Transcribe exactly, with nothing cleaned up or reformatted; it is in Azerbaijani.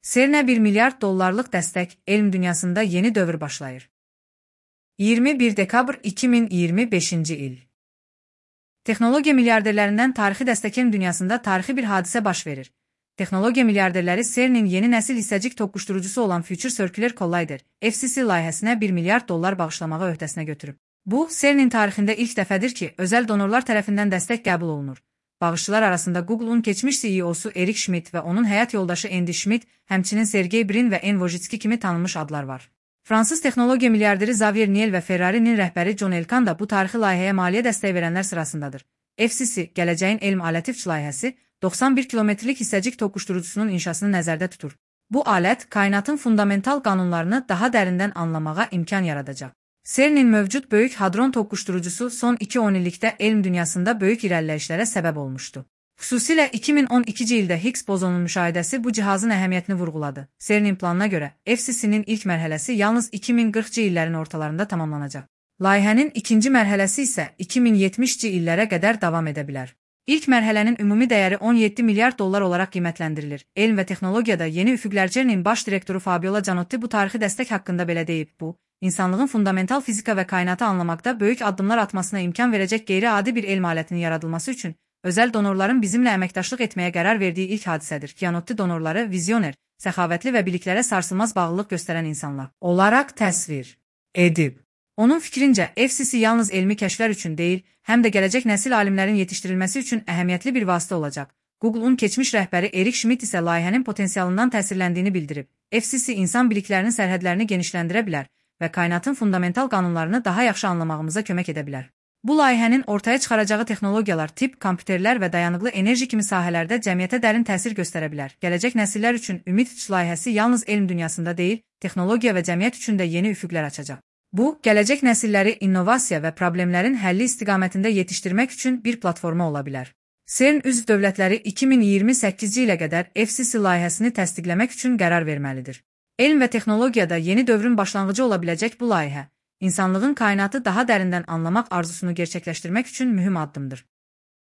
CERN-ə bir milyard dollarlıq dəstək, elm dünyasında yeni dövr başlayır. iyirmi bir dekabr iki min iyirmi beşinci il. Texnologiya milyarderlərindən tarixi dəstək elm dünyasında tarixi bir hadisə baş verir. Texnologiya milyarderləri CERN-in yeni nəsil hissəcik toqquşdurucusu olan Future Circular Collider, F C C layihəsinə bir milyard dollar bağışlamağı öhdəsinə götürüb. Bu, CERN-in tarixində ilk dəfədir ki, özəl donorlar tərəfindən dəstək qəbul olunur. Bağışçılar arasında Google-un keçmiş C E O-su Eric Schmidt və onun həyat yoldaşı Andy Schmidt, həmçinin Sergey Brin və En Wojcicki kimi tanınmış adlar var. Fransız texnologiya milyarderi Xavier Niel və Ferrari-nin rəhbəri John Elkann da bu tarixi layihəyə maliyyə dəstəyi verənlər sırasındadır. F C C, gələcəyin elm alətifç layihəsi, doxsan bir kilometrlik hissəcik toqquşdurucusunun inşasını nəzərdə tutur. Bu alət, kainatın fundamental qanunlarını daha dərindən anlamağa imkan yaradacaq. CERN-in mövcud böyük hadron toqquşdurucusu son iki on illikdə elm dünyasında böyük irəliləyişlərə səbəb olmuşdu. Xüsusilə iki min on ikinci ildə Higgs bozonunun müşahidəsi bu cihazın əhəmiyyətini vurğuladı. CERN-in planına görə, F C C-nin ilk mərhələsi yalnız iki min qırxıncı illərin ortalarında tamamlanacaq. Layihənin ikinci mərhələsi isə iki min yetmişci illərə qədər davam edə bilər. İlk mərhələnin ümumi dəyəri on yeddi milyard dollar olaraq qiymətləndirilir. Elm və texnologiyada yeni üfüqlər CERN-in baş direktoru Fabiola Gianotti bu tarixi dəstək haqqında belə deyib. Bu, insanlığın fundamental fizika və kainatı anlamaqda böyük addımlar atmasına imkan verəcək qeyri-adi bir elm alətinin yaradılması üçün özəl donorların bizimlə əməkdaşlıq etməyə qərar verdiyi ilk hadisədir. Gianotti donorları vizyoner, səxavətli və biliklərə sarsılmaz bağlılıq göstərən insanlar olaraq təsvir edib. Onun fikrincə, F C C yalnız elmi kəşflər üçün deyil, həm də gələcək nəsil alimlərin yetişdirilməsi üçün əhəmiyyətli bir vasitə olacaq. Google-un keçmiş rəhbəri Eric Schmidt isə layihənin potensialından təsirləndiyini bildirib. F C C insan biliklərinin sərhədlərini genişləndirə bilər və kainatın fundamental qanunlarını daha yaxşı anlamağımıza kömək edə bilər. Bu layihənin ortaya çıxaracağı texnologiyalar tibb, kompüterlər və dayanıqlı enerji kimi sahələrdə cəmiyyətə dərin təsir göstərə bilər. Gələcək nəsillər üçün Ümid layihəsi yalnız elm dünyasında deyil, texnologiya və cəmiyyət üçün də yeni üfüqlər açacaq. Bu, gələcək nəsilləri innovasiya və problemlərin həlli istiqamətində yetişdirmək üçün bir platforma ola bilər. CERN üzv dövlətləri iki min iyirmi səkkizinci ilə qədər F C C layihəsini təsdiqləmək üçün qərar verməlidir. Elm və texnologiyada yeni dövrün başlanğıcı ola biləcək bu layihə, insanlığın kainatı daha dərindən anlamaq arzusunu gerçəkləşdirmək üçün mühüm addımdır.